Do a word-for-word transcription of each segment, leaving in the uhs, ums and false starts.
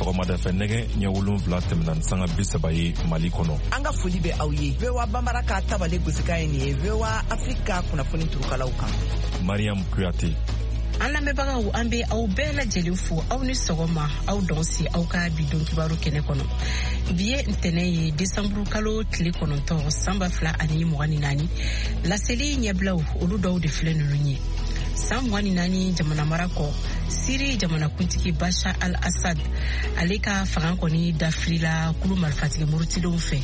Sɔgɔmada fɛ nɛgɛ ɲɛ wolonwula tɛmɛna ni sanga bi saba ye Mali kɔnɔ. An ka foli bɛ aw ye. V O A Bambara ka tabale gosikan ye nin ye V O A Afrique ka kunnafoni turukalaw kan. Mariam Kuyate. An lamɛnbagaw, an bɛ aw bɛɛ lajɛlen fo, aw ni sɔgɔma, aw dɔnsi aw ka bi don kibaru kɛnɛ kɔnɔ. Bi ye ntɛnɛn ye, desanburu kalo tile kɔnɔntɔn, san ba fila ani mugan ni naani. Laseli ɲɛbilaw, olu dɔw de filɛ ninnu ye. San mugan ni naani jamana mara kɔ, Siri jamanakuntigi Bashar al-Assad ale ka fanga kɔni dafirila kulu marifatigi murutilenw fɛ,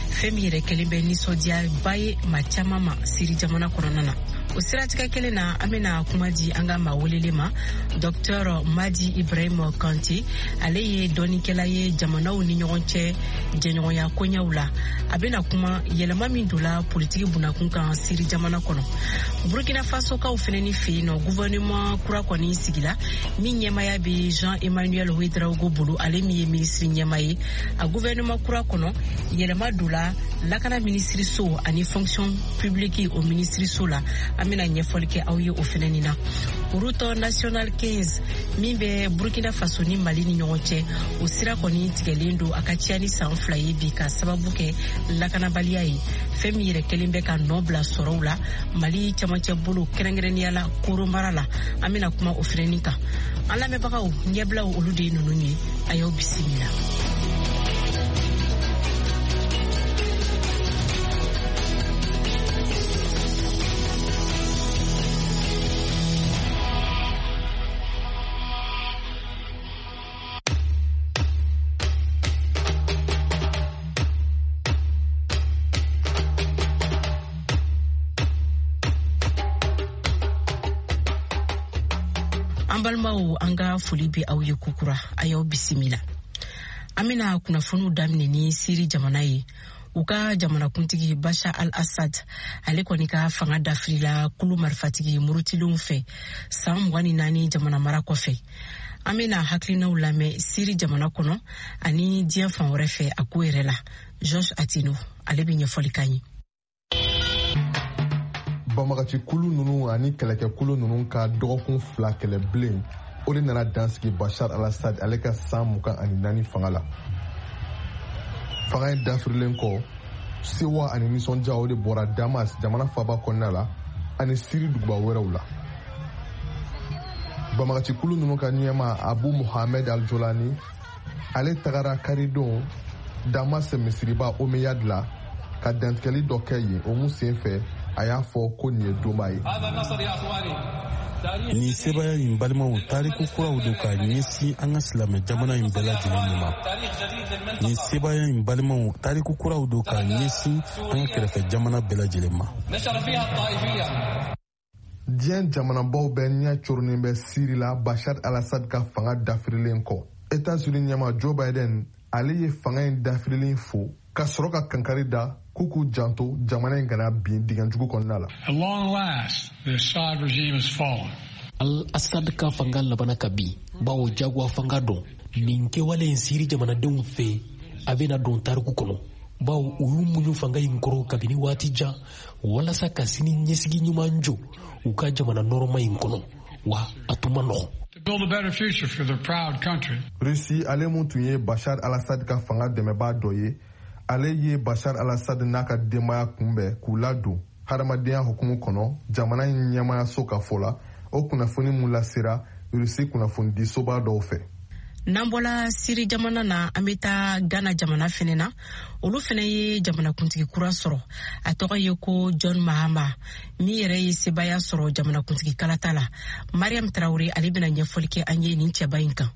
fɛn min yɛrɛ kɛlen bɛ nisɔndiyaba ye maa caman ma Siri jamana kɔnɔna na. O siratigɛ kelen na, an bɛna kuma di an ka maa welelen ma, Docteur Madi Ibrahim Kante. Ale ye dɔnnikɛla ye jamanaw ni ɲɔgɔn cɛ jɛɲɔgɔnya koɲɛw la. A bɛna kuma yɛlɛma min donna politiki bunakun kan Siri jamana kɔnɔ. Burkina Fasokaw fɛnɛ ni fɛ yen nɔ, gouvernement kura kɔni sigila min ɲɛmaya bɛ Jean Emmanuel Ouedraogo bolo, ale min ye minisiri ɲɛma ye. A gouvernement kura kɔnɔ, yɛlɛma donna lakana minisiriso ani fonction publique o minisiriso la. An bɛna ɲɛfɔli kɛ aw ye o fɛnɛ nin na. Route nationale quinze min bɛ Burkina Faso ni Mali ni ɲɔgɔn cɛ, o sira kɔni tigɛlen don a ka ca ni san fila ye bi, ka sababu kɛ lakanabaliya ye, fɛn min yɛrɛ kɛlen bɛ ka nɔ bila sɔrɔw la Mali camancɛ bolo, kɛrɛnkɛrɛnnenya la Koro mara la. An bɛna kuma o fɛnɛ kan. An lamɛnbagaw, ɲɛbilaw olu de ye ninnu ye, a y'aw bisimila. An balimaw, an ka foli bɛ aw ye kokura, a y'aw bisimila. An bɛna kunnafoniw daminɛ ni Siri jamana ye. U ka jamanakuntigi Bashar al-Assad ale kɔni ka fanga dafirila kulu marifatigi murutilenw fɛ san mugan ni naani jamana mara kɔfɛ. An bɛna hakilinaw lamɛn Siri jamana kɔnɔ ani diɲɛ fan wɛrɛ fɛ a ko yɛrɛ la. Georges Atino ale bɛ ɲɛfɔli k'an ye. Banbagaci kulu ninnu ani kɛlɛkɛkulu ninnu ka dɔgɔkun fila kɛlɛ bilen, o de nana dansigi Bashar al-Assad ale ka san mugan ani naani fanga la. Fanga in dafirilen kɔ, sewa ani nisɔndiya o de bɔra Damas jamana faaba kɔnɔna la ani Siri duguba wɛrɛw la. Banbagaci kulu ninnu ka ɲɛma Abu Mohamed al-Jolani ale tagara karidon Damas misiriba Omeyad la ka dantigɛli dɔ kɛ yen. O mun sen fɛ, a y'a fɔ ko nin ye donba ye. Nin sebaaya in, balimaw, tariku kuraw don ka ɲɛsin an ka silamɛ jamana in bɛɛ lajɛlen ma. Nin sebaaya in, balimaw, tariku kuraw don ka ɲɛsin an ka kɛrɛfɛ jamana bɛɛ lajɛlen ma. Diɲɛ jamanabaw bɛɛ ɲɛ coronnen bɛ Siri la Bashar al-Assad ka fanga dafirilen kɔ. États-Unis ɲɛma Joe Biden ale ye fanga in dafirilen fo ka sɔrɔ ka kankari da k'u k'u janto jamana in kana bin dingɛ jugu kɔnɔna la. At long last, the Assad regime has fallen. Al-Assad ka fanga labana ka bin, bawo jagoya fanga don. Nin kɛwale in Siri jamanadenw fɛ, a bɛna don tariku kɔnɔ, bawo u y'u muɲu fanga in kɔrɔ kabini waati jan walasa ka sini ɲɛsigi ɲuman jɔ u ka jamana nɔrɔma in kɔnɔ, wa a tun ma nɔgɔn. To build a better future for their proud country. Russie ale mun tun ye Bashar al-Assad ka fanga dɛmɛbaa dɔ ye, ale ye Bashar al-Assad n'a ka denbaya kunbɛn k'u ladon hadamadenya hukumu kɔnɔ jamana in ɲɛmayaso ka fɔ la. O kunnafoni mun lasera Russie kunnafonidisoba dɔw fɛ. N'an bɔla Siri jamana na, an bɛ taa Ghana jamana fɛnɛ na. Olu fɛnɛ ye jamanakuntigi kura sɔrɔ, a tɔgɔ ye ko John Mahama, min yɛrɛ ye sebaaya sɔrɔ jamanakuntigi kalata la. Mariam Traore ale bɛna ɲɛfɔli kɛ an ye nin cɛba in kan.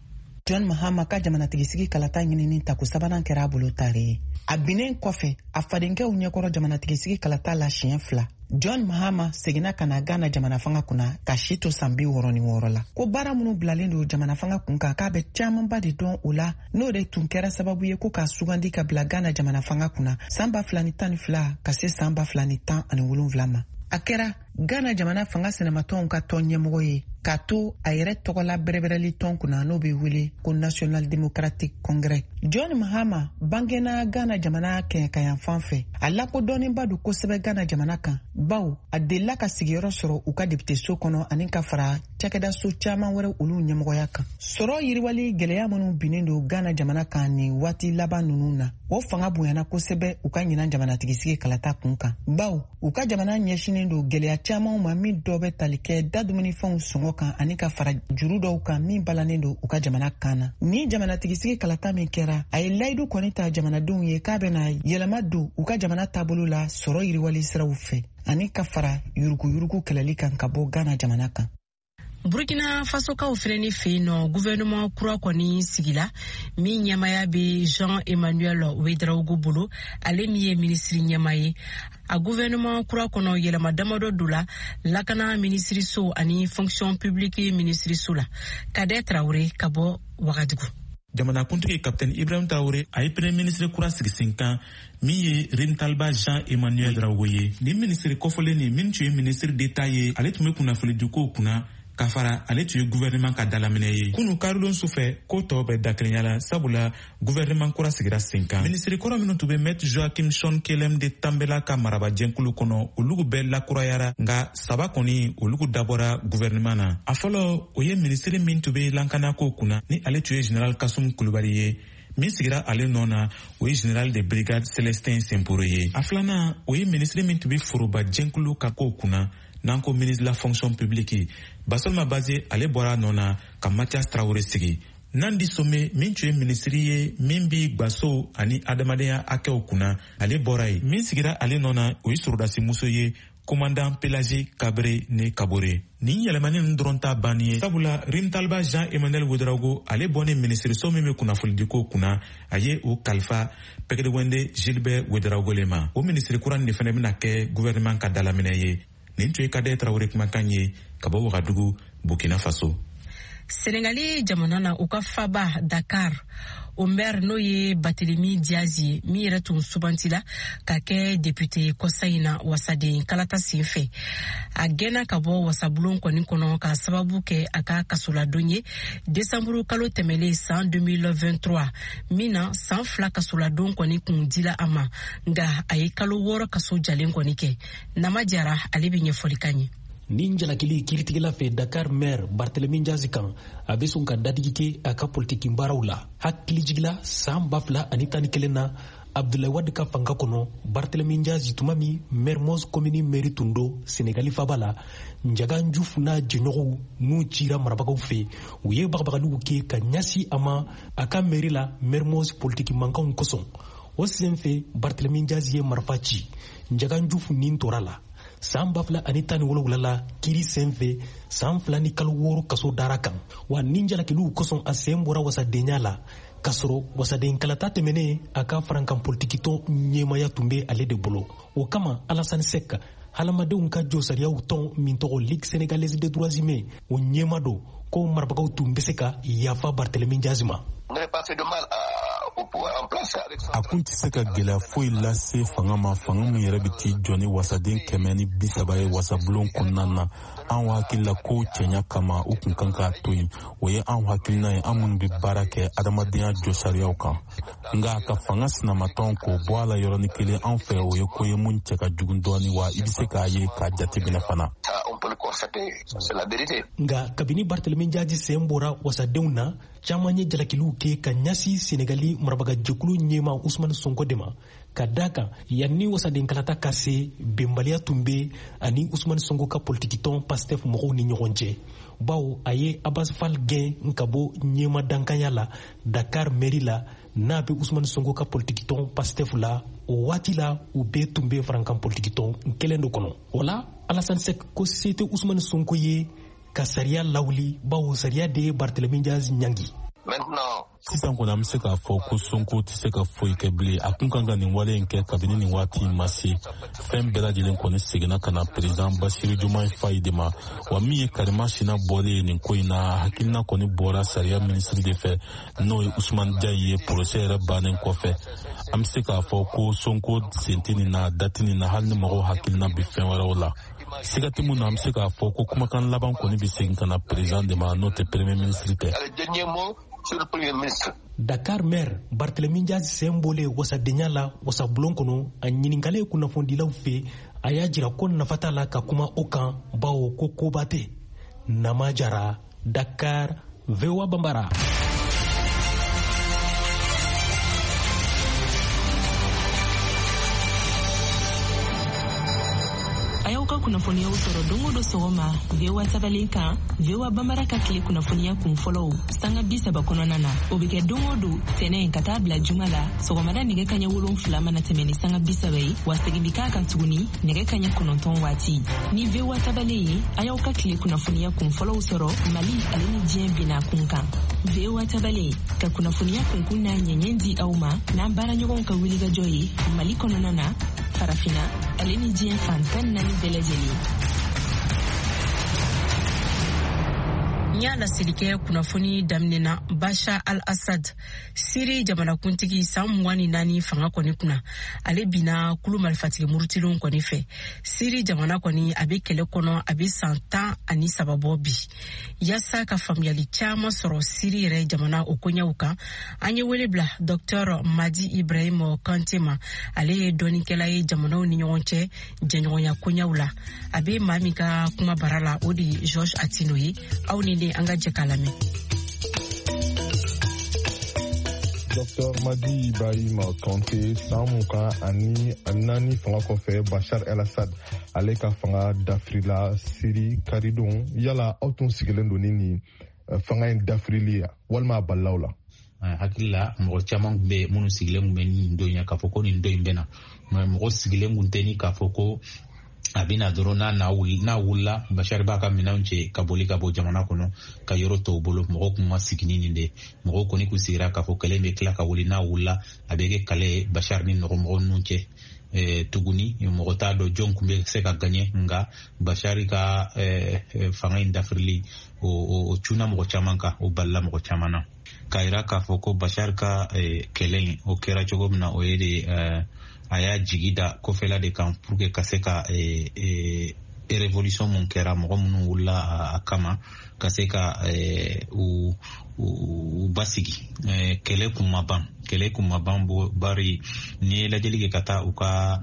John Mahama ka jamanatigisigi kalata ɲinini tako sabanan kɛra a bolo tare ye. A binnen kɔfɛ a fadenkɛw ɲɛkɔrɔ jamanatigisigi kalata la siɲɛ fila, John Mahama seginna ka na Ghana jamana fanga kunna ka si to san bi wɔɔrɔ ni wɔɔrɔ la. Ko baara minnu bilalen don jamana fanga kun kan, k'a bɛ camanba de dɔn o la, n'o de tun kɛra sababu ye ko k'a sugandi ka bila Ghana jamana fanga kunna san ba fila ni tan ni fila ka se san ba fila ni tan ani wolonwula ma. A kɛra Ghana jamana fanga sinamatɔnw ka tɔn ɲɛmɔgɔ ye, k'a to a yɛrɛ tɔgɔla bɛrɛbɛrɛli tɔn kunna n'o bɛ wele ko National Democratic Congress. John Mahama bangena Ghana jamana kɛɲɛkayanfan fɛ. A lakodɔnnenba don kosɛbɛ Ghana jamana kan, bawo a delila ka sigiyɔrɔ sɔrɔ u ka depiteso kɔnɔ ani ka fara cakɛdaso caman wɛrɛ olu ɲɛmɔgɔya kan. Sɔrɔ yiriwali gɛlɛya minnu binnen don Ghana jamana kan nin waati laban ninnu na, o fanga bonyana kosɛbɛ u ka ɲinan jamanatigisigi kalata kun kan, bawo u ka jamana ɲɛsinnen don gɛlɛya camanw ma min dɔ bɛ tali kɛ da dumunifɛnw sɔngɔ kan ani ka fara juru dɔw kan min balannen don u ka jamana kan na. Ni jamanatigisigi kalata min kɛra, a ye layidu kɔni ta jamanadenw ye k'a bɛna yɛlɛma don u ka jamana taabolo la sɔrɔ yiriwali siraw fɛ ani ka fara yuruguyurugu kɛlɛli kan ka bɔ Ghana jamana kan. Burkina Fasokaw fɛnɛ ni fɛ yen nɔ, gouvernement kura kɔni sigila min ɲɛmaya bɛ Jean Emmanuel Ouedraogo bolo, ale min ye minisiri ɲɛma ye. A gouvernement kura kɔnɔ yɛlɛma damadɔ don la lakana minisiriso ani fonction publique minisiriso la. Kadɛ Traoré ka bɔ Wagadugu. Jamanakuntigi Capitaine Ibrahim Traoré a ye premier ministre kura sigi sen kan min ye Rimtalba Jean Emmanuel Ouedraogo ye. Nin minisiri kɔfɔlen nin min tun ye ministre d'État ye, ale tun bɛ kunnafonidiko kunna, ka fara ale tun ye gouvernement ka dalaminɛ ye. Kunu karilon sufɛ ko tɔ bɛ dakelenya la, sabula gouvernement kura sigira sen kan. Minisiri kɔrɔ minnu tun bɛ Maître Joachim Son Kelem de Tambela ka marabajɛnkulu kɔnɔ, olugu bɛɛ lakurayara, nka saba kɔni olugu dabɔra gouvernement na. A fɔlɔ, o ye minisiri min tun bɛ lakanako kunna, ni ale tun ye général Kassoum Kulubali ye. Min sigira ale nɔ na, o ye général de brigade Célestin Semporo ye. A filanan, o ye minisiri min tun bɛ foroba jɛnkulu ka kow kunna, n'an ko ministre de la fonction publique, Basolma Baze, ale bɔra nɔ na ka Mathias Traoré sigi. Nandi Some min tun ye minisiri ye min bi gwaso ani adamadenya hakɛw kunna, ale bɔra yen. Min sigira ale nɔ na, o ye sorodasimuso ye, commandant Pélagie Kabré ne Kabore. Nin yɛlɛmani ninnu dɔrɔn t'a banni ye, sabula Rimtalba Jean Emmanuel Ouedraogo ale bɔnnen minisiriso min bɛ kunnafonidiko kunna, a ye o kalifa Pɛgɛdɛwɛnde Gilbert Ouedraogo le ma. O minisiri kura nin de fana bɛna kɛ gouvernement ka dalaminɛ ye. Nin tun ye Kadɛ Traoré kumakan ye ka bɔ Wagadugu, Burkina Faso. Senegali jamana na, u ka faba Dakar, o maire n'o ye Barthélémy Diaz ye, min yɛrɛ tun sugantila ka kɛ député kɔsa in na wasaden kalata sen fɛ, a gɛnna ka bɔ wasabulon kɔni kɔnɔ k'a sababu kɛ a ka kasoladon ye desanburu kalo tɛmɛlen san deux mille vingt-trois, min na san fila kasoladon kɔni kun dila a ma, nka a ye kalo wɔɔrɔ kaso jalen kɔni kɛ. Nama Jara ale bɛ ɲɛfɔli kan ye. Nin jalakili kiiritigɛla fɛ Dakar maire Barthélémy Diaz kan, a bɛ sɔn ka dadigi kɛ a ka politiki baaraw la. Hakilijigila san ba fila ani tan ni kelen na, Abdoulaye Wade ka fanga kɔnɔ, Barthélémy Diaz tuma min Mermoz commune mairie tun don Senegali faba la, Ndiaga Diouf n'a jɛɲɔgɔnw n'u cira marabagaw fɛ, u ye bagabagaliw kɛ ka ɲɛsin a ma a ka mairie la Mermoz politiki mankanw kosɔn. O sen fɛ Barthélémy Diaz ye marifa ci, Ndiaga Diouf nin tora la. San ba fila ani tan ni wolonwula la, kiiri sen fɛ san fila ni kalo wɔɔrɔ kaso dara kan. Wa nin jalakiliw kosɔn a sen bɔra wasadenya la, k'a sɔrɔ wasaden kalata tɛmɛnen a ka farankan politikitɔn ɲɛmaya tun bɛ ale de bolo. O kama Alassane Seck, hadamadenw ka jɔsariyaw tɔn min tɔgɔ Ligue sénégalaise des droits humains, o ɲɛma don ko marabagaw tun bɛ se ka yafa Barthélémy Diaz ma. A kun tɛ se ka gɛlɛya foyi lase fanga ma, fanga min yɛrɛ bɛ t'i jɔ ni wasaden kɛmɛ ni bi saba ye wasabulon kɔnɔna na. Anw hakili la ko cɛɲa kama u kun kan k'a to yen. O ye anw hakilina ye, an minnu bɛ baara kɛ adamadenya jɔsariyaw kan. Nka ka fanga sinamatɔn k'o bɔ a la yɔrɔnin kelen, anw fɛ o ye ko ye mun cɛ ka jugu dɔɔni, wa i bɛ se k'a ye k'a jateminɛ fana. Nka kabini Barthélémy Diaz sen bɔra wasadenw na, caman ye jalakiliw kɛ ka ɲɛsin Senegali marabagajɛkulu ɲɛma Ousmane Sonko de ma, ka da kan yanni wasaden kalata ka se, bɛnbaliya tun bɛ ani Ousmane Sonko ka politikitɔn Pastef mɔgɔw ni ɲɔgɔn cɛ, bawo a ye Abbas Fall gɛn ka bɔ ɲɛma dankanya la Dakar mairie la n'a bɛ Ousmane Sonko ka politikitɔn Pastef la. O waati la u bɛɛ tun bɛ farankan politikitɔn kelen de kɔnɔ. O la Alassane Seck ko se tɛ Ousmane Sonko ye ka sariya lawuli, bawo sariya de ye Barthélémy Diaz ɲangi. Sisan kɔni an bɛ se k'a fɔ ko Sonko tɛ se ka foyi kɛ bilen. A kun kan ka nin wale in kɛ kabini nin waati in ma se. Fɛn bɛɛ lajɛlen kɔni seginna ka na président Bassirou Diomaye Faye de ma. Wa min ye Karima Sina bɔlen ye nin ko in na, hakilina kɔni bɔra sariya minisiri de fɛ, n'o ye Ousmane Diaye ye, procès yɛrɛ bannen kɔfɛ. An bɛ se k'a fɔ ko Sonko sen tɛ nin na, da tɛ nin na, hali ni mɔgɔw hakilina bɛ fɛn wɛrɛw la. Siga tɛ mun na, an bɛ se k'a fɔ ko kumakan laban kɔni bɛ segin ka na président de ma, n'o tɛ premier ministre tɛ. Dakar maire Barthélémy Dias sen bɔlen wasadenya la wasabulon kɔnɔ, a ɲininkalen kunnafonidilaw fɛ, a y'a jira ko nafa t'a la ka kuma o kan, bawo ko koba tɛ. Nama Jara, Dakar, V O A Bambara. Ka kunnafoniyaw sɔrɔ don o don sɔgɔma V O A tabalen kan, V O A Bambara ka tile kunnafoniya kun fɔlɔw sanga bi saba kɔnɔna na. O bɛ kɛ don o don tɛnɛn ka taa bila juma la sɔgɔmada nɛgɛ kaɲɛ wolonfila mana tɛmɛ ni sanga bi saba ye, wa segin bɛ k'a kan tuguni nɛgɛ kaɲɛ kɔnɔntɔn waati. Ni V O A tabalen ye, a y'aw ka tile kunnafoniya kun fɔlɔw sɔrɔ Mali ale ni diɲɛ bina kun kan. V O A tabalen ka kunnafoniya kunkun n'a ɲɛɲɛ di aw ma n'an baaraɲɔgɔnw ka wulikajɔ ye Mali kɔnɔna na, Farafina ale ni diɲɛ fan tan naani bɛɛ lajɛlen. N y'a laseli kɛ kunnafoni daminɛ na, Bashar al-Assad, Siri jamanakuntigi san mugan ni naani fanga kɔni kunna, ale binna kulu marifatigi murutilenw kɔni fɛ. Siri jamana kɔni a bɛ kɛlɛ kɔnɔ, a bɛ san tan ani saba bɔ bi. Yaasa ka faamuyali caman sɔrɔ Siri yɛrɛ jamana o koɲɛw kan, an ye wele bila Docteur Madi Ibrahim Kante ma. Ale ye dɔnnikɛla ye jamanaw ni ɲɔgɔn cɛ jɛɲɔgɔnya koɲɛw la. A bɛ maa min ka kuma bara la, o de ye Georges Atino ye. Aw ni ne, an ka jɛ k'a lamɛn. Docteur Madi Ibrahim Kante, san mugan ani naani fanga kɔfɛ, Bashar el-Assad ale ka fanga dafirila Siri karidon. Yala aw tun sigilen don ni nin fanga in dafirili ye walima a balilaw la? Hakili la mɔgɔ caman tun bɛ minnu sigilen tun bɛ nin don in k'a fɔ ko nin don in bɛ na, mɔgɔ sigilen tun tɛ ni k'a fɔ ko a bɛna dɔrɔn n'a n'a wulila Bashar b'a ka minɛnw cɛ ka boli ka bɔ jamana kɔnɔ ka yɔrɔ tɔw bolo. Mɔgɔw kun ma sigi ni nin de, mɔgɔw kɔni kun sigira k'a fɔ kɛlɛ bɛ tila ka wuli, n'a wulila a bɛ kɛ kɛlɛ ye Bashar ni nɔgɔmɔgɔ ninnu cɛ. Tuguni mɔgɔ t'a dɔn jɔn kun bɛ se ka gaɲɛ, nka Bashar ka fanga in dafirili o cunna mɔgɔ caman kan, o balila mɔgɔ caman na. K'a yira k'a fɔ ko Bashar ka kɛlɛ in o kɛra cogo min na, o ye de a y'a jigi da kɔfɛla de kan pour que ka se ka révolution mun kɛra, mɔgɔ minnu wulila a kama ka se ka u u basigi. Kɛlɛ kun ma ban, kɛlɛ kun ma ban, bari n'i ye lajɛli kɛ ka taa u ka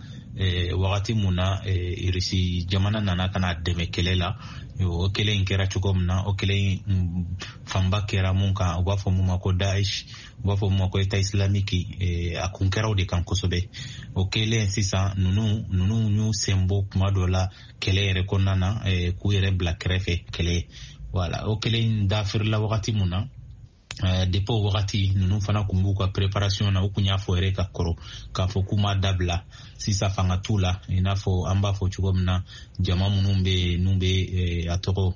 wagati mun na Irisi jamana nana ka na dɛmɛ kɛlɛ la, o kɛlɛ in kɛra cogo min na, o kɛlɛ in fanba kɛra mun kan, u b'a fɔ mun ma ko Daesh, u b'a fɔ mun ma ko État islamique, a kun kɛra o de kan kosɛbɛ. O kɛlen sisan ninnu ninnu y'u sen bɔ kuma dɔ la kɛlɛ yɛrɛ kɔnɔna na, k'u yɛrɛ bila kɛrɛfɛ kɛlɛ. Voilà, o kɛlɛ in dafirila wagati mun na, depuis o wagati ninnu fana kun b'u ka préparation na, u kun y'a fɔ yɛrɛ ka kɔrɔ k'a fɔ k'u ma dabila sisan fanga t'u la, i n'a fɔ an b'a fɔ cogo min na jama minnu bɛ yen n'u bɛ a tɔgɔ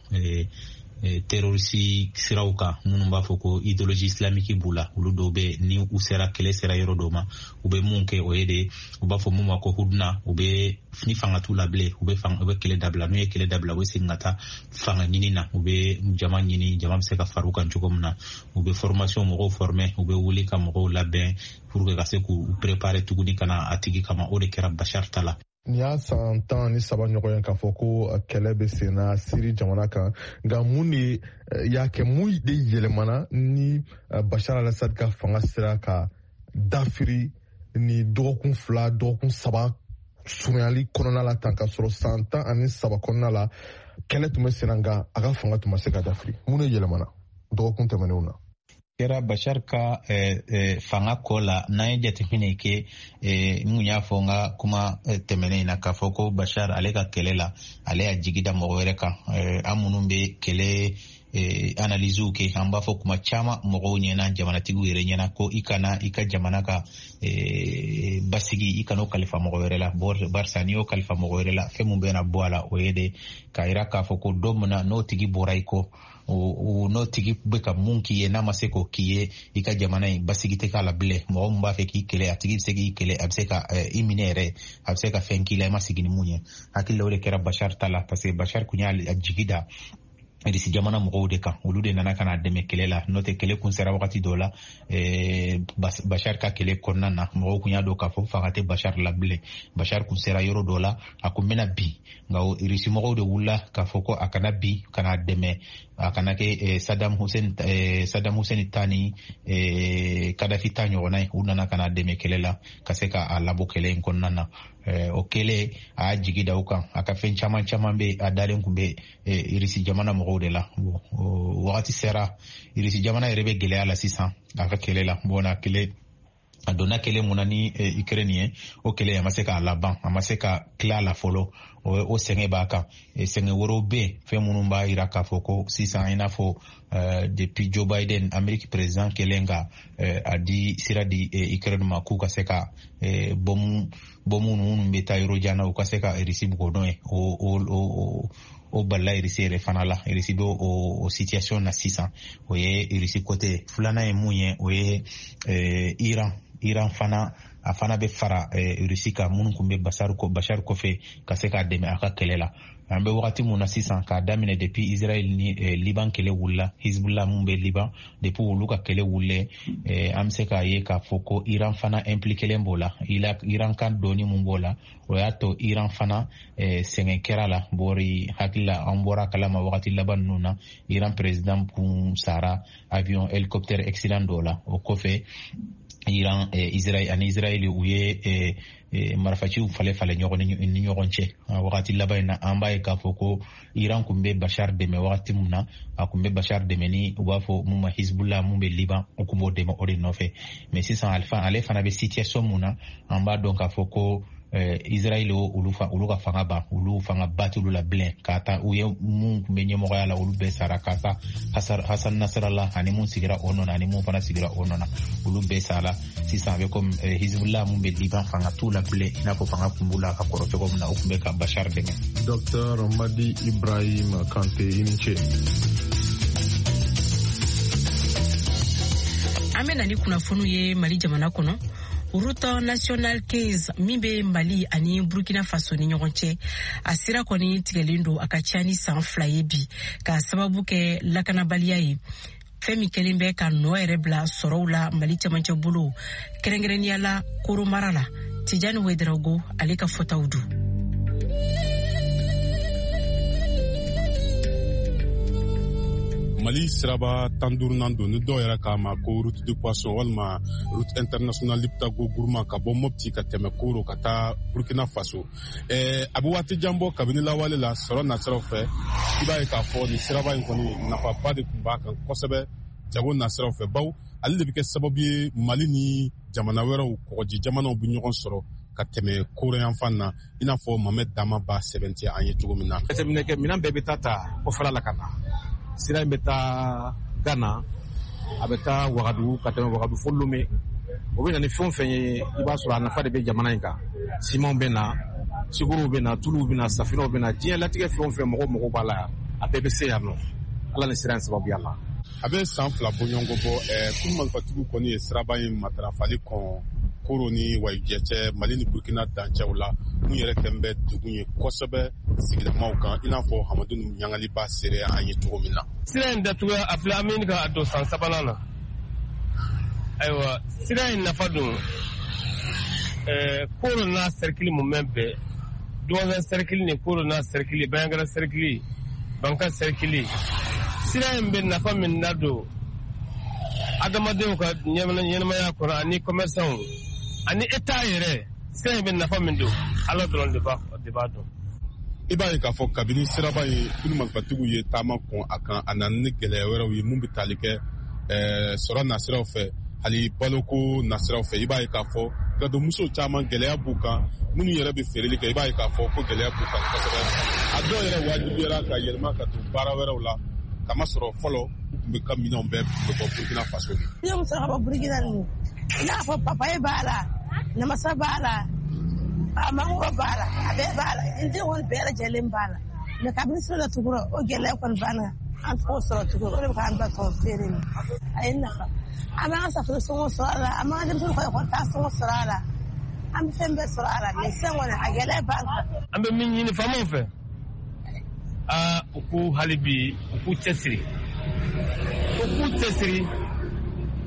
terroriste siraw kan, minnu b'a fɔ ko idéologie islamique b'u la, olu dɔw bɛ ni u sera kɛlɛ sera yɔrɔ dɔw ma, u bɛ mun kɛ o ye de u b'a fɔ mun ma ko hudna, u bɛ ni fanga t'u la bilen, u bɛ fanga u bɛ kɛlɛ dabila, n'u ye kɛlɛ dabila u bɛ segin ka taa fanga ɲini na, u bɛ jama ɲini, jama bɛ se ka far'u kan cogo min na, u bɛ formation mɔgɔw former, u bɛ wuli ka mɔgɔw labɛn pour que ka se k'u préparer tuguni ka na a tigi kama. O de kɛra Bashar ta la. Nin y'a san tan ni saba ɲɔgɔn ye k'a fɔ ko kɛlɛ bɛ sen na Siri jamana kan, nka mun de y'a kɛ, mun de yɛlɛmana ni Bashar al-Assad ka fanga sera ka dafiri ni dɔgɔkun fila dɔgɔkun saba surunyali kɔnɔna la tan, ka sɔrɔ san tan ani saba kɔnɔna la kɛlɛ tun bɛ sen na, nka a ka fanga tun ma se ka dafiri? Mun de yɛlɛmana dɔgɔkun tɛmɛnenw na? Kɛra Bashar ka eh, eh, fanga kɔ la, n'an ye jateminɛ kɛ, eh, n kun y'a fɔ n ka kuma eh, tɛmɛnen na k'a fɔ ko Bashar ale ka kɛlɛ la, ale y'a jigi da mɔgɔ wɛrɛ kan. eh, an minnu bɛ kɛlɛ eh, analysew kɛ, an b'a fɔ kuma caman mɔgɔw ɲɛna, jamanatigiw yɛrɛ ɲɛna ko i kana i ka jamana ka eh, basigi, i kana o kalifa mɔgɔ wɛrɛ la, barisa n'i y'o kalifa mɔgɔ wɛrɛ la, fɛn mun bɛna bɔ a la o ye de k'a yira k'a fɔ ko don min na n'o tigi bɔra i kɔ, o n'o tigi bɛ ka mun k'i ye n'a ma se k'o k'i ye, i ka jamana in basigi tɛ k'a la bilen. Mɔgɔ min b'a fɛ k'i kɛlɛ, a tigi bɛ se k'i kɛlɛ, a bɛ se ka i minɛ yɛrɛ, a bɛ se ka fɛn k'i la i ma sigi ni mun ye. Hakili la o de kɛra Bashar ta la, parce que Bashar kun y'a jigi da Irisi jamana mɔgɔw de kan, olu de nana ka na dɛmɛ kɛlɛ la. N'o tɛ kɛlɛ kun sera wagati dɔ la, eh, Bashar ka kɛlɛ kɔnɔna na, mɔgɔw kun y'a dɔn k'a fɔ fanga tɛ Bashar la bilen. Bashar kun sera yɔrɔ dɔ la, a kun bɛna bin, nka Irisi mɔgɔw de wulila k'a fɔ ko a kana bin, ka na dɛmɛ, a kana kɛ eh, Saddam Hussein eh, Saddam Hussein ta ni eh, Kadhafi ta ɲɔgɔnna ye. U nana ka na dɛmɛ kɛlɛ la ka se ka a labɔ kɛlɛ in kɔnɔna na. O kɛlen a y'a jigi da u kan, a ka fɛn caman caman bɛ a dalen kun bɛ Irisi jamana mɔgɔw de la. Bon, wagati sera Irisi jamana yɛrɛ bɛ gɛlɛya la sisan a ka kɛlɛ la. Bon, a kɛlɛ a donna kɛlɛ mun na ni Ukraine ye, o kɛlɛ a ma se k'a laban, a ma se ka tila a la fɔlɔ. O sɛgɛn b'a kan. Sɛgɛn wɛrɛw bɛ yen, fɛn minnu b'a jira k'a fɔ ko sisan, i n'a fɔ depuis Joe Biden, Amérique président kɛlen ka a di sira di Ukraine ma k'u ka se ka bɔmu bɔmu minnu bɛ taa yɔrɔ jan na, u ka se ka Irisi bugɔ n'o ye, o o o balila Irisi yɛrɛ fana la. Irisi bɛ o situation na sisan, o ye Irisi côté. Filanan ye mun ye, o ye Iran. Iran fana a fana bɛ fara Irisi kan, minnu kun bɛ Bashar Bashar kɔfɛ ka se k'a dɛmɛ a ka kɛlɛ la. An bɛ wagati mun na sisan, k'a daminɛ depuis Israël ni Liban kɛlɛ wulila, Hezbollah mun bɛ Liban, depuis olu ka kɛlɛ wulilen, an bɛ se k'a ye k'a fɔ ko Iran fana impliquélen b'o la. Iran kan dɔɔni mun b'o la, o y'a to Iran fana sɛgɛn kɛra la. Bɔri hakili la, an bɔra kalama wagati laban ninnu na, Iran président kun sara avion hélicoptère accident dɔ la. O kɔfɛ Iran, Israël ani Israël u ye marifaciw falen falen ɲɔgɔn ni ɲɔgɔn cɛ wagati laban in na. An b'a ye k'a fɔ ko Iran kun bɛ Bashar dɛmɛ wagati mun na, a kun bɛ Bashar dɛmɛ ni u b'a fɔ mun ma Hezbollah mun bɛ Liban, u kun b'o dɛmɛ o de nɔfɛ. Mais sisan ale fana bɛ situation mun na, an b'a dɔn k'a fɔ ko Israël olu fa olu ka fanga ban, olu fanga ba t'olu la bilen. K'a ta u ye mun kun bɛ ɲɛmɔgɔya la, olu bɛɛ sara, k'a ta Hassan Nasrallah ani mun sigira o nɔ na, ani mun fana sigira o nɔ na, olu bɛɛ sara. Sisan a bɛ komi Hezbollah mun bɛ Liban, fanga t'u la bilen, i n'a fɔ fanga kun b'u la ka kɔrɔ cogo min na, u kun bɛ ka Bashar dɛmɛ. Docteur Madi Ibrahim Kante, i ni ce. An bɛ na ni kunnafoniw ye Mali jamana kɔnɔ. Route nationale quinze min bɛ Mali ani Burkina Faso ni ɲɔgɔn cɛ, a sira kɔni tigɛlen don a ka ca ni san fila ye bi, k'a sababu kɛ lakanabaliya ye, fɛn min kɛlen bɛ ka nɔ yɛrɛ bila sɔrɔw la Mali cɛmancɛ bolo, kɛrɛnkɛrɛnnenya la Koro mara la. Tijani Wederago ale ka fɔtaw don. Mali siraba tan duurunan don, ni dɔw yɛrɛ k'a ma ko route de poisson walima route internationale Liptako Gourma, ka bɔ Mopti ka tɛmɛ Koro ka taa Burkina Faso. Eh, a bɛ waati jan bɔ kabini lawale la sɔrɔ nasiraw fɛ. I b'a ye k'a fɔ nin siraba in kɔni nafaba de tun b'a kan kosɛbɛ jago nasiraw fɛ, bawo ale de bɛ kɛ sababu ye Mali ni jamana wɛrɛw, kɔgɔji jamanaw bɛ ɲɔgɔn sɔrɔ ka tɛmɛ Koro yanfan na, i n'a fɔ Mohamed Dama b'a sɛbɛntiya an ye cogo min na. Jateminɛ kɛ, minɛn bɛɛ bɛ taa ta kɔfɛla la ka na. Sira in bɛ taa Ghana, a bɛ taa Wagadugu, ka tɛmɛ Wagadugu fo Lome. O bɛ na ni fɛn o fɛn ye, i b'a sɔrɔ a nafa de bɛ jamana in kan. Simanw bɛ na, sukorow bɛ na, tuluw bɛ na, safinɛw bɛ na, diɲɛ latigɛ fɛn o fɛn mɔgɔw mago b'a la, a bɛɛ bɛ se yan nɔ. Ala ni sira in sababuya la. A bɛ san fila bɔɲɔgɔnko bɔ, kulu marifatigiw kɔni ye siraba in matarafali kɔn Koro ni Wayijɛ cɛ, Mali ni Burkina dancɛw la, mun yɛrɛ kɛn bɛ degun ye kosɛbɛ sigidamaw kan, i n'a fɔ Hamadu Ɲangaliba seere an ye cogo min na. Sira in datuguya a filɛ, an bɛ ɲini ka don san sabanan na. Ayiwa, sira in nafa don ɛɛ Koro n'a sɛrikili mumɛ bɛɛ, Duwanzan sɛrikili ni Koro n'a sɛrikili, Bayangara sɛrikili, Banka sɛrikili. Sira in bɛ nafa min ladon adamadenw ka ɲɛnamaya kɔnɔ ani commerçants ani État yɛrɛ, sira in bɛ nafa min don, Ala dɔrɔn de b'a de b'a dɔn. I b'a ye k'a fɔ kabini siraba in kulu marifatigiw ye taama kɔn a kan, a nana ni gɛlɛya wɛrɛw ye mun bɛ tali kɛ sɔrɔ nasiraw fɛ, hali baloko nasiraw fɛ. I b'a ye k'a fɔ gadonmuso caman gɛlɛya b'u kan, minnu yɛrɛ bɛ feereli kɛ, i b'a ye k'a fɔ ko gɛlɛya b'u kan kosɛbɛ. A dɔw yɛrɛ wajibiyara ka yɛlɛma ka don baara wɛrɛw la, kamasɔrɔ fɔlɔ u tun bɛ ka minɛnw bɛɛ bɛ bɔ Burkina Faso de. Ne muso ka bɔ Burkina ninnu, i n'a fɔ papaye b'a la, namasa b'a la, mangoro b'a la, a bɛɛ b'a la, n den kɔni bɛɛ lajɛlen b'a la. Mɛ kabini sira datugura, o gɛlɛya kɔni banna, an t'o sɔrɔ tuguni, o de bɛ k'an bila tɔn feere in. A ye nafa, an b'an ka safunɛ sɔngɔ sɔrɔ a la, an b'an ka denmisɛnninw ka ekɔli taa sɔngɔ sɔrɔ a la, an bɛ fɛn bɛɛ sɔrɔ a la. Mɛ sisan kɔni a gɛlɛya b'an kan. An bɛ min ɲini faamaw fɛ, Aa, u k'u hali bi u k'u cɛsiri, u k'u cɛsiri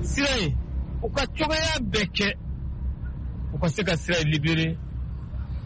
sira in, u ka cogoya bɛɛ kɛ u ka se ka sira in libéré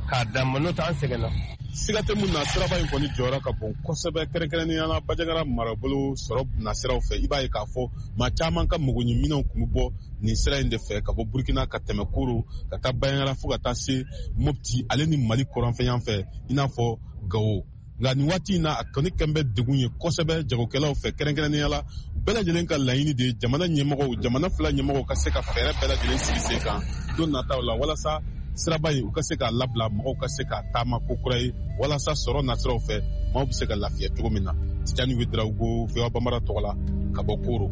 k'a d'an ma, n'o tɛ an sɛgɛnna. Siga tɛ mun na, siraba in kɔni jɔyɔrɔ ka bon kosɛbɛ, kɛrɛnkɛrɛnnenya la Bandiagara marabolo sɔrɔ nasiraw fɛ. I b'a ye k'a fɔ maa caman ka magoɲɛminɛnw tun bɛ bɔ nin sira in de fɛ ka bɔ Burkina ka tɛmɛ Koro ka taa Bandiagara fo ka taa se Mopti ale ni Mali kɔrɔnfɛyan fɛ, i n'a fɔ Gawo. Nka nin waati in na, a kɔni kɛn bɛ degun ye kosɛbɛ jagokɛlaw fɛ, kɛrɛnkɛrɛnnenya la bɛɛ lajɛlen ka laɲini de ye jamana ɲɛmɔgɔw, jamana fila ɲɛmɔgɔw ka se ka fɛɛrɛ bɛɛ lajɛlen sigi sen kan don nataw la, walasa siraba in u ka se k'a labila, mɔgɔw ka se k'a taama ko kura ye, walasa sɔrɔ nasiraw fɛ maaw bɛ se ka lafiya cogo min na. Tijani Ouedraogo, V O A Bambara tɔgɔ la ka bɔ Koro.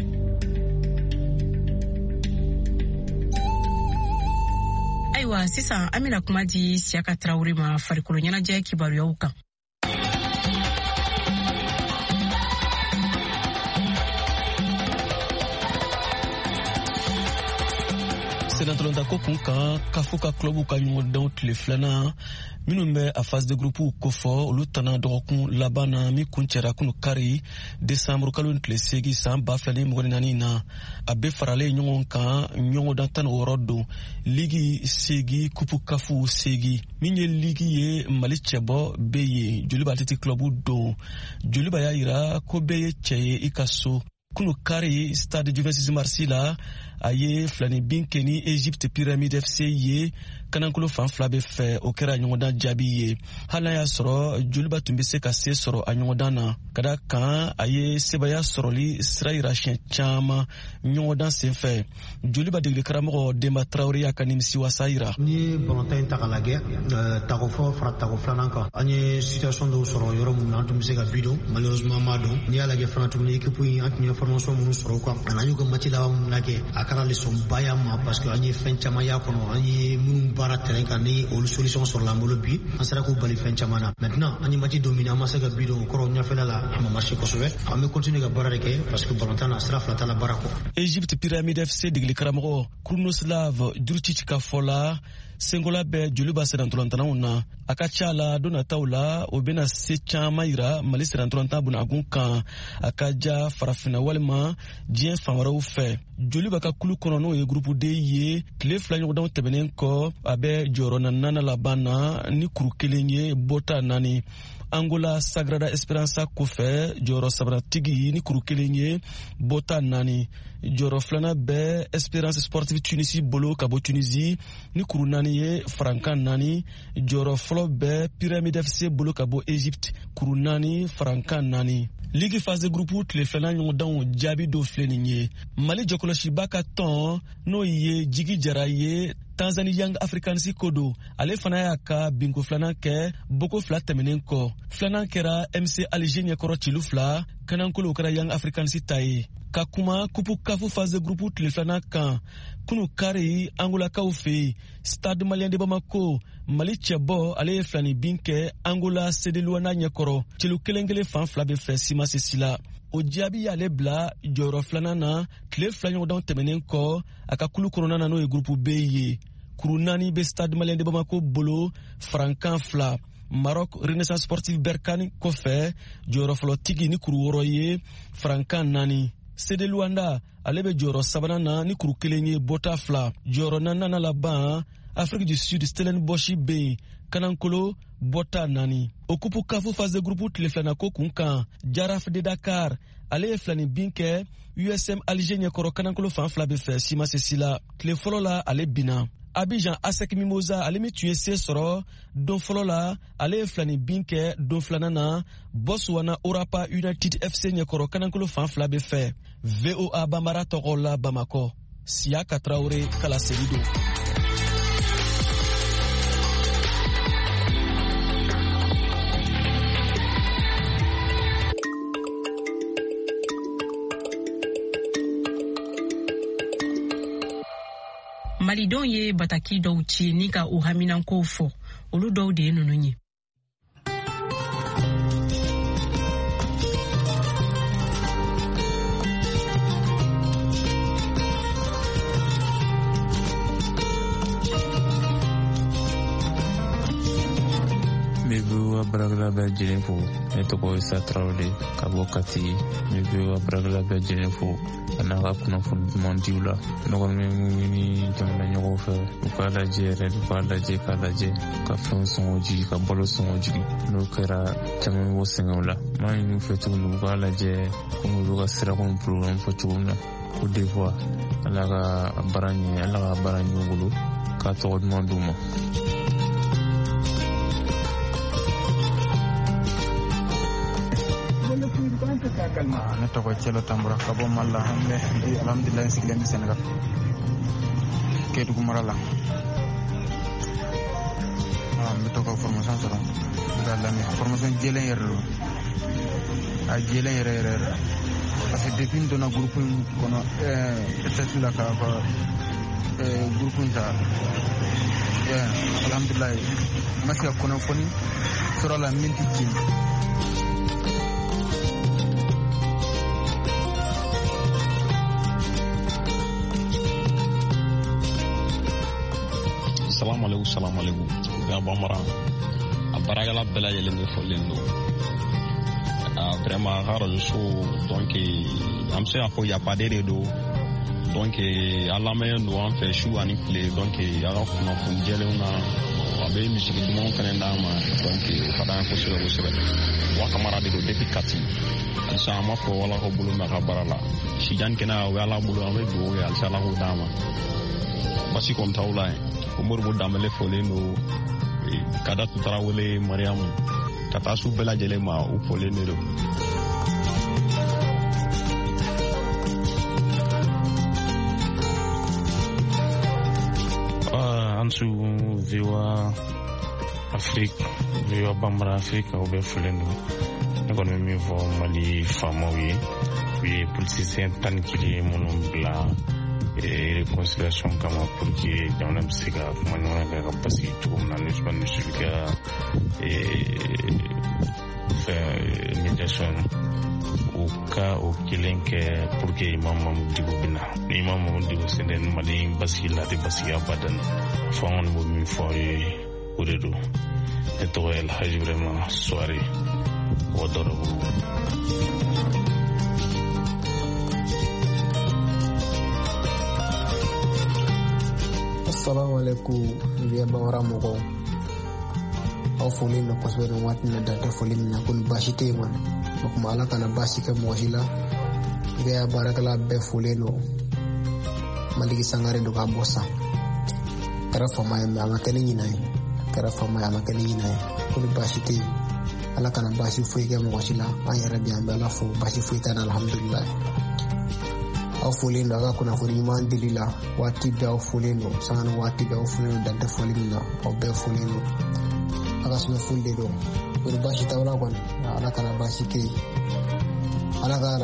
Ayiwa, sisan an bɛna kuma di Siyaka Tarawele ma farikolo ɲɛnajɛ kibaruyaw kan. Senatɔlɔntako kun kan, kafo ka club ka ɲɔgɔndanw tile filanan minnu bɛ a phase de groupe kofɔ, olu tana dɔgɔkun laban na min kuncɛra kunu kari desanburu kalo tile seegin san ba fila ni mugan ni naani na. A bɛɛ faralen ɲɔgɔn kan ɲɔgɔndan tan ni wɔɔrɔ don, ligi seegin, kupu kafu seegin. Min ye ligi ye, Mali cɛbɔ bɛ yen, Joliba Athletic Club don. Joliba y'a yira ko bɛɛ ye cɛ ye i ka so. Kunu kari stade du vingt-six mars la, a ye filani bin kɛ ni Egypte Pyramide F C ye kanankolo fan fila bɛ fɛ. O kɛra ɲɔgɔndan jaabi ye, hali n'a y'a sɔrɔ Joliba tun bɛ se ka se sɔrɔ a ɲɔgɔndan na, ka da kan a ye sebaaya sɔrɔli sira yira siɲɛ caman ɲɔgɔndan senfɛ. Joliba degeli karamɔgɔ Denba Tarawele y'a ka nimisiwasa yira. N'i ye balontan in ta k'a lajɛ, tako fɔlɔ fara tako filanan kan, an ye situation dɔw sɔrɔ yɔrɔ mun na an tun bɛ se ka bi don, malheureusement an m'a dɔn. N'i y'a lajɛ fana tuguni, équipe in an tun ye formation minnu sɔrɔ u kan, ani an y'u ka match laban minnu lajɛ, a kɛra leçon ba y'an ma, parce que an ye fɛn caman y'a kɔnɔ, an ye minnu baara terrain kan, ni olu solution sɔrɔla an bolo bi, an sera k'u bali fɛn caman na. Maintenant an ye match dominer, an ma se ka bi don, o kɔrɔ ɲɛfɛla la a ma marché kosɛbɛ. An bɛ continuer ka baara de kɛ, parce que balontan na sira fila t'a la baara kɔ. Egypte Pyramide F C degeli karamɔgɔ Krunoslav Jurcic ka fɔ la, senkola bɛ Joliba sennantolantanaw na. A ka ca la don nataw la, o bɛna se caman yira Mali sennantolantan bunagun kan, a ka ja farafinna walima diɲɛ fan wɛrɛw fɛ. Joliba ka kulu kɔnɔ, n'o ye groupe D ye, tile fila ɲɔgɔndanw tɛmɛnen kɔ, a bɛ jɔyɔrɔ naaninan laban na ni kuru kelen ye, bɔta naani. Angola Sagrada Esperança kɔfɛ, jɔyɔrɔ sabanatigi ni kuru kelen ye, bɔta naani. Jɔyɔrɔ filanan bɛ Esperance Sportive Tunisie bolo ka bɔ Tunisie ni kuru naani ye, farankan naani. Jɔyɔrɔ fɔlɔ bɛ Pyramide F C bolo ka bɔ Egypte, kuru naani, farankan naani. Ligue phase de groupe tile filanan ɲɔgɔndanw jaabi dɔ filɛ nin ye. Mali jɔkɔlɔsiba ka tɔn, n'o ye Jigi Jara ye, Tanzanie Young Africans ko don, ale fana y'a ka binko filanan kɛ boko fila tɛmɛnen kɔ. Filanan kɛra M C Alger ɲɛkɔrɔ cilu fila, kanankolo kɛra Young Africans ta ye. Ka kuma kupu kafu phase de groupe tile filanan kan, kunu kari Angolakaw fɛ yen, Stade Malien de Bamako, Mali cɛbɔ ale ye filani bin kɛ Angola C D Luanda ɲɛkɔrɔ, celu kelen kelen fan fila bɛ fɛ siman sesi la. O jaabi y'ale bila jɔyɔrɔ filanan na tile fila ɲɔgɔndanw tɛmɛnen kɔ a ka kulu kɔnɔna na, n'o ye groupe B ye. Kuru naani bɛ Stade Malien de Bamako bolo, farankan fila. Maroc Renaissance Sportive Berkane kɔfɛ, jɔyɔrɔ fɔlɔtigi ni kuru wɔɔrɔ ye, farankan naani. C D Luanda ale bɛ jɔyɔrɔ sabanan na ni kuru kelen ye, bɔta fila. Jɔyɔrɔ naaninan laban, Afrique du Sud Stellenbosch bɛ yen, kanankolo bɔta naani. O kupu kafu phase de groupe tile filanan ko kun kan, Jaraf de Dakar ale ye filani bin kɛ U S M Alger ɲɛkɔrɔ, kanankolo fan fila bɛ fɛ siman sesi la. Tile fɔlɔ la ale binna. Abidjan ASEC Mimosa ale min tun ye se sɔrɔ don fɔlɔ la, ale ye filani bin kɛ don filanan na Botswana Orapa United F C ɲɛkɔrɔ, kanankolo fan fila bɛ fɛ. V O A Bambara tɔgɔ la Bamakɔ, Siyaka Tarawele kalaseli don. Malidenw ye bataki dɔw ci ni ka u haminankow fɔ, olu dɔw de ye ninnu ye. N bɛ V O A baarakɛla bɛɛ lajɛlen fo. Ne tɔgɔ ye Isa Tarawele ka bɔ Kati. N bɛ V O A baarakɛla bɛɛ lajɛlen fo a n'a ka kunnafoni duman diw la. Ne kɔni bɛ mun ɲini jamana ɲɛmɔgɔw fɛ, u k'a lajɛ yɛrɛ, u k'a lajɛ k'a lajɛ ka fɛnw sɔngɔ jigin, ka balo sɔngɔ jigin. N'o kɛra caman bɛ bɔ sɛgɛnw la. N b'a ɲini u fɛ tuguni u k'a lajɛ komi olu ka sirako ni programme fɔ cogo min na. Côte d'Ivoire, Ala ka baara ɲɛ, Ala ka baara ɲɛ u bolo, k'a tɔgɔ duman d'u ma. Ne tɔgɔ Cɛlɔ Tanbura ka bɔ Mali la. An bɛ bi alhamdulilayi n sigilen bɛ Senegal Kédougou mara la. N bɛ to ka formation sɔrɔ n bɛ lamɛn formation jɛlen yɛrɛ don, a jɛlen yɛrɛ yɛrɛ yɛrɛ parce que depuis n donna groupe in kɔnɔ ɛɛ la ka ka groupe in ta alhamdulilayi n ma se ka kunnafoni sɔrɔ a la min tɛ tiɲɛ. Salamu alaikum, salamu alaikum. Ga Bambara a baarakɛla bɛɛ lajɛlen de fɔlen don. Vraiment a ka radio so, donc an bɛ se k'a fɔ yafaden de don. Donc a lamɛnnen don an fɛ su ani tile. Donc a ka kunnafoni jɛlenw na, a bɛ misigi dumanw fɛnɛ d'an ma. Donc o ka d'an ye kosɛbɛ kosɛbɛ. Wa Kamara de don depuis Kati. Halisa an b'a fɔ Ala k'aw bolo mɛn a ka baara la. Sijan kɛnɛya o bɛ Ala bolo, an bɛ dugawu kɛ halisa Ala k'o d'an ma. Basi kɔni t'aw la yen. Moribo Danbele fɔlen don, Kadatu Tarawele, Mariamu, ka taa su bɛɛ lajɛlen ma, u fɔlen de don. An su V O A Afrique, V O A Bambara Afrique, aw bɛɛ fɔlen don. Ne kɔni bɛ min fɔ Mali faamaw ye, u ye politisiyɛn tan ni kelen minnu bila réconciliation kama pour que jamana bɛ se ka kuma ɲɔgɔnya kɛ ka basigi cogo min na, ni Usumani Yusufu ka fɛn médiation u ka o kelen kɛ pour que Imam Mahmoud Dicko bɛ na. Ni Imam Mahmoud Dicko sen tɛ ni Mali basigi la, a tɛ basigi abadan. Fo an kɔni b'o min fɔ aw ye, o de don. Ne tɔgɔ ye Alhaji Ibrahima Suware, Ouagadougou. Assalamu alaikum, V O A Bambara mɔgɔw. Aw folilen don kosɛbɛ nin waati in na, dan tɛ foli min na, ko ni baasi tɛ yen kɔni. O tuma Ala kana baasi kɛ mɔgɔ si la. V O A baarakɛla bɛɛ folilen don. Maliki Sangare don k'a bɔ san. Kɛra faama ye, mɛ a ma kɛ ni ɲinan ye. Kɛra faama ye, a ma kɛ ni ɲinan ye. Ko ni baasi tɛ yen. Ala kana baasi foyi kɛ mɔgɔ si la. An yɛrɛ bi an bɛ Ala fo, baasi foyi t'an na, alhamdulilayi. Aw folilen don a ka kunnafoni ɲuman dili la waati bɛɛ, aw folilen don sanga ni waati bɛɛ, aw folilen don dan tɛ foli min na, aw bɛɛ folilen don. A ka sɛbɛn foli de don. O ni baasi t'aw la kɔni, Ala kana baasi kɛ yen. Ala ka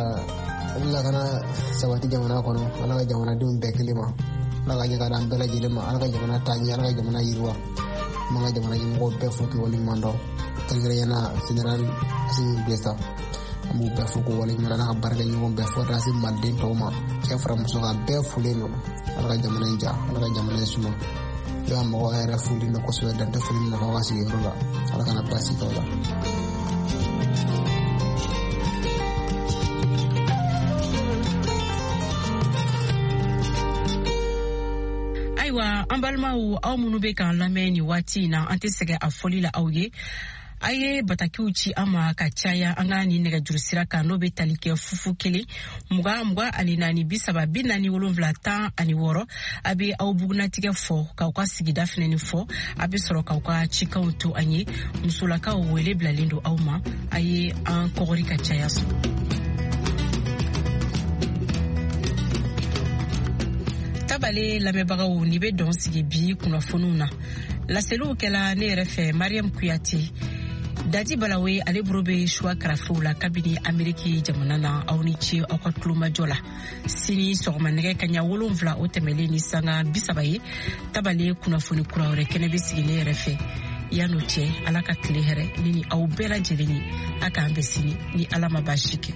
lakana sabati jamana kɔnɔ, Ala ka jamanadenw bɛɛ kelen ma, Ala ka ɲɛ ka d'an bɛɛ lajɛlen ma, Ala ka jamana taa ɲɛ, Ala ka jamana yiriwa. An b'an ka jamana ɲɛmɔgɔw bɛɛ fo k'i waleɲuman dɔn, kɛrɛnkɛrɛnnenya la Général Assimi Goïta. An b'u bɛɛ fo k'u waleɲuman dɔn, n'a ka baarakɛɲɔgɔn bɛɛ fo ka taa se maliden tɔw ma, cɛ fara muso kan, bɛɛ folen don. Ala ka jamana in ja, Ala ka jamana in suma. I b'a mɔgɔw yɛrɛ folen don kosɛbɛ, dan tɛ foli min na f'aw ka sigiyɔrɔ la. Ala kana baasi k'aw la. Ayiwa, an balimaw, aw minnu bɛ k'an lamɛn nin waati in na, an tɛ sɛgɛn a fɔli la aw ye. A ye batakiw ci an ma ka caya an ka nin nɛgɛjuru sira kan, n'o bɛ tali kɛ fufu kelen mugan mugan ani naani bi saba bi naani wolonwula tan ani wɔɔrɔ. A bɛ aw bugunatigɛ fɔ k'aw ka sigida fɛnɛ fɔ, a bɛ sɔrɔ k'aw ka cikanw to an ye. Musolakaw wele bilalen don aw ma, a ye an kɔgɔri ka caya sɔrɔ. Tabale lamɛnbagaw, ni bɛ dɔn sigi bi kunnafoniw na. Laseliw kɛla ne yɛrɛ fɛ Mariam Kuyate. Dadi Balawe ale bolo bɛ suwa karafew la kabini Ameriki jamana na. Aw ni ce aw ka tulomajɔ la. Sini sɔgɔma nɛgɛ kaɲa wolonwula o tɛmɛlen ni sanga bi saba ye, tabale kunnafoni kura wɛrɛ kɛnɛ bɛ sigi ne yɛrɛ fɛ. Yan'o cɛ, Ala ka tile hɛrɛ ne ni aw bɛɛ lajɛlen ye. A k'an bɛn sini ni Ala ma baasi kɛ.